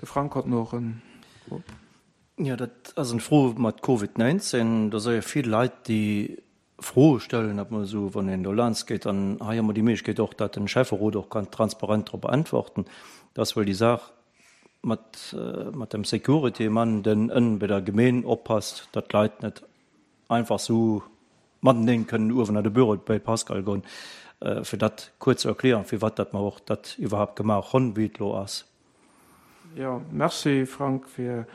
De Frank hott noch en Fro. Jo, dat ass eng Fro mat Covid 19. Do si jo vill Leit, déi Froe stellen, dat mer esou, wann een do laanscht geet, an hei hu mer déi Méiglechkeet och, datt den Schäfferot och kann transparent drop äntworten, dass wuel déi Saach mat, mat dem Security-Mann, den ënnen bei der Gemeen oppasst, datt d'Leit net einfach sou mateneen kënnen uewen an de Büro bei Pascal goen, fir dat kuerz ze erklären, firwat datt mer och dat iwwerhaapt gemaach honn, wéi et elo ass. Jo, merci Frank fir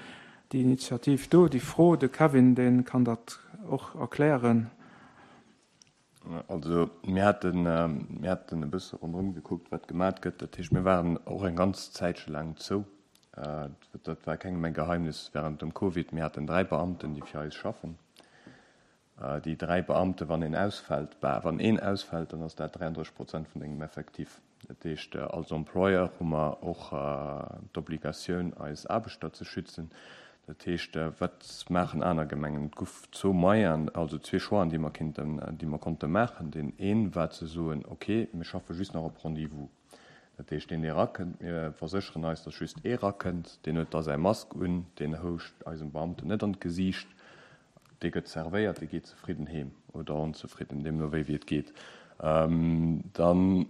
déi Initiativ do, déi Fro. De Kevin, dee kann dat och erklären. Also mir haten, mir haten e bësse ronderëm gekuckt, wat gemat gëtt. Dat heescht, mir waren och eng ganz Zäitche laang zou. Dat war kengem eng Geheimnis während dem Covid. Mir haten 3 Beamten, déi fir eis schaffen. Déi 3 Beamten, wann een ausfält, bah, wann een ausfält, dann ass dat 33 Prozent vun dengem Effectif. Dat heescht, als Employeur hu mer och d'Obligatioun, eis Aarbechter ze schützen. Dat heescht, wat maachen aner Gemengen? Et guff zwou Moyenen, also zwee Choixen, déi mer kinnten, déi mer konnte maachen. Deen ee war ze soen, okay, mir schaffe just nach op Rendez-vous. Dat heescht, deen, dee erakënnt, mir versécheren eis, datt just ee erakënnt, deen huet da säi Mask un, deen houscht eisem Beamten net an d'Gesiicht, dee gëtt servéiert, dee geet zefridden heem oder onzefridden, deemno wéi wéi et geet. Dann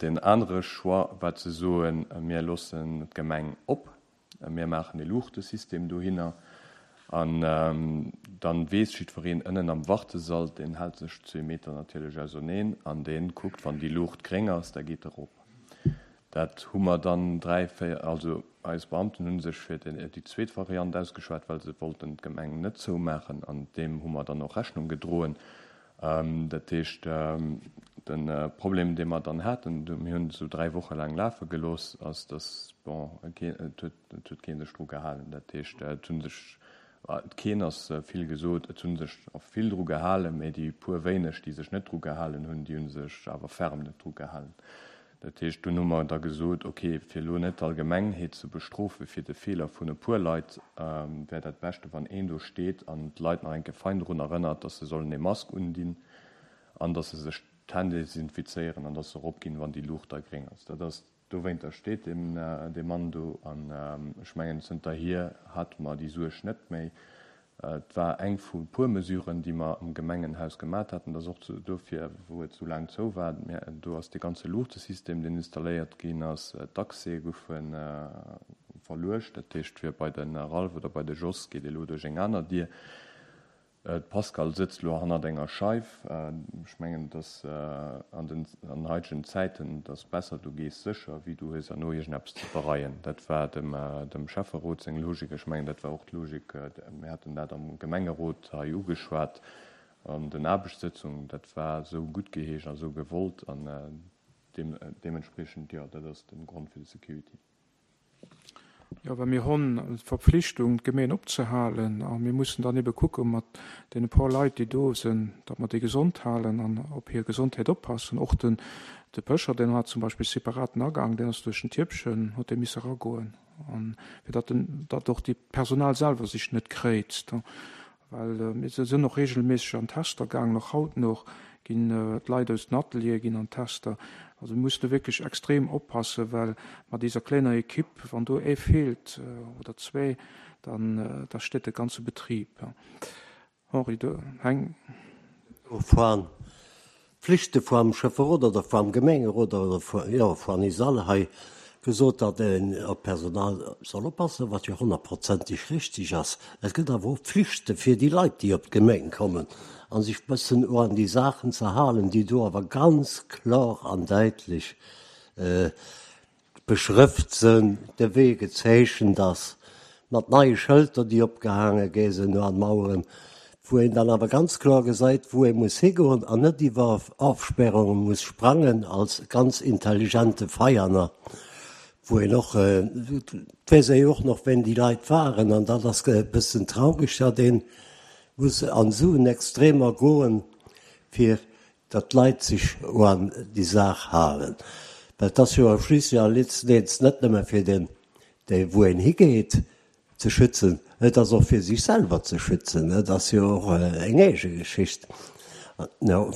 deen anere Choix war ze soen, mir loossen d'Gemeng op, Mir maachen e Luuchtesystem dohinner an dann weess jiddwereen ënnen am Wartesall, deen hält sech zwee Meter natierlech auserneen an dee kuckt, wann déi Luucht gréng ass, da geet e rop. Dat hu mer dann dräi, véier, also eis Beamten hu sech fir déi zweet Variant ausgeschwat, well se wollten d'Gemeng net zoumaachen an deem hu mer dann och Rechnung gedroen. Dat heescht, de Problem, dee mer dann haten, mir hunn et esou 3 Woche laang lafe gelooss, ass, datt, bon, et huet, et huet kee sech dru gehalen. Dat heescht, et hu sech, keen ass vill gesot, et hu sech och vill dru gehalen, mä déi puer wéineg, déi sech net dru gehalen hunn, déi hu sech awer ferm net dru gehalen. Dat heescht, dunn hu mer da gesot, okay, fir elo net d'Allgemengheet ze bestrofe fir de Feeler vun e puer Leit, wär dat Beschte wann een do steet an d'Leit nach eng Kéier fein drun erënnert, dass se sollen ee Mask undinn an dass se sech d'Hänn desinfizéieren an dass se eropginn, wann déi Luucht da gréng ass. Dat ass, dowéinter steet dee Mann do. An ech mengen, zënterhier hate mer déi Suerg net méi. Et war eng vu puer Mesuren, déi mer am Gemengenhaus gemat haten. Dat ass och dofir, wou et esou laang zou war. Do ass dee ganze Luuchtesystem, deen installéiert ginn ass. D'Accèse goufe verluecht. Dat heescht, fir bei de Ralph oder bei de Jos geet ee lo duerch eng aner Dier. D'Pascale sëtzt lo hannert enger Scheif. Ech mengen, et ass an den an haitegen Zäiten, et ass besser, du gees sécher, wéi du hues herno iergendeppes ze bereien. Dat war dem dem Schäfferot seng Logik. Ech mengen, dat war och d'Logik, mir haten dat am Gemengerot hei ugeschwat an den Aarbechtssëtzungen. Dat war esou guttgeheescht a esou gewollt an deementspriechend, jo, dat ass de Grond fir de Security. Jo, well mir honn d'Verpflichtung, d'Gemeen opzehalen a mir mussen dann ebe kucke mat deene paar Leit, déi do sinn, datt mer déi gesond halen an op hir Gesondheet oppassen. Och den, de Pëscher, deen hat zum Beispill separaten Agang, deen ass duerch den Tierpchen, huet dee misse eragoen, an fir datt den, datt och déi Personal selwer sech net kréizt. Well mir sinn och regelméisseg an Tester gaangen, och haut noch ginn d'Leit aus den Ateliere ginn an Tester. Also mir mussen do wierklech extrem oppassen, well mat iser kleiner Equipe, wann do ee feelt oder zwee, dann da steet de ganze Betrib. Henri, du heng. Enfin, Pflichte vum Schäfferot oder vum Gemengerot oder jo vun eis all hei gesot, datt een op d'Personal soll oppassen, wat jo honnertprozenteg richtig ass. Et gëtt awer och Pflichte fir déi Leit, déi op d'Gemeng kommen a sech bëssen och an déi Saachen ze halen, déi do awer ganz kloer an däitlech Beschrëft sënn, de Wee gezeechent ass, mat neie Schëlter, déi opgehaange gi sinn an Maueren, wou een dann awer ganz kloer gesäit, wou ee muss higoen an net iwwer Ofsperrunge muss sprangen als ganz intelligente Veianer, wou een och, et weess ee jo och nach, ween déi Leit waren, an dat ass e bëssen traureg, datt ee muss an esou en Extremer goen, fir datt d'Leit sech uan déi Saach halen, well et ass jo schliisslech a letzten Ends net nëmme fir deen, dee wou een higeet, ze schützen, et ass och fir sech selwer ze schützen. Et ass jo och eng eege Geschicht. Jo,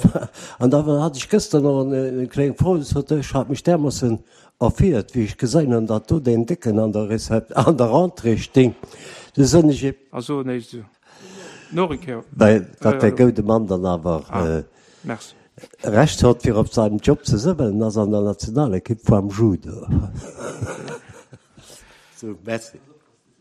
an da hat ech gëster nach eng kleng Fro, sot ech hat mech därmoossen erfiert, wéi ech geséin hunn, datt do deen Décken an der Recep-, an der Rentrée sting. Du soen ech him. A soen éischt esou noch eng Kéier. Well datt dee goude Mann dann awer Recht hott, fir op seinem Job ze sënn, well en ass an der Nationalekipp voam Judo. Sou, merci.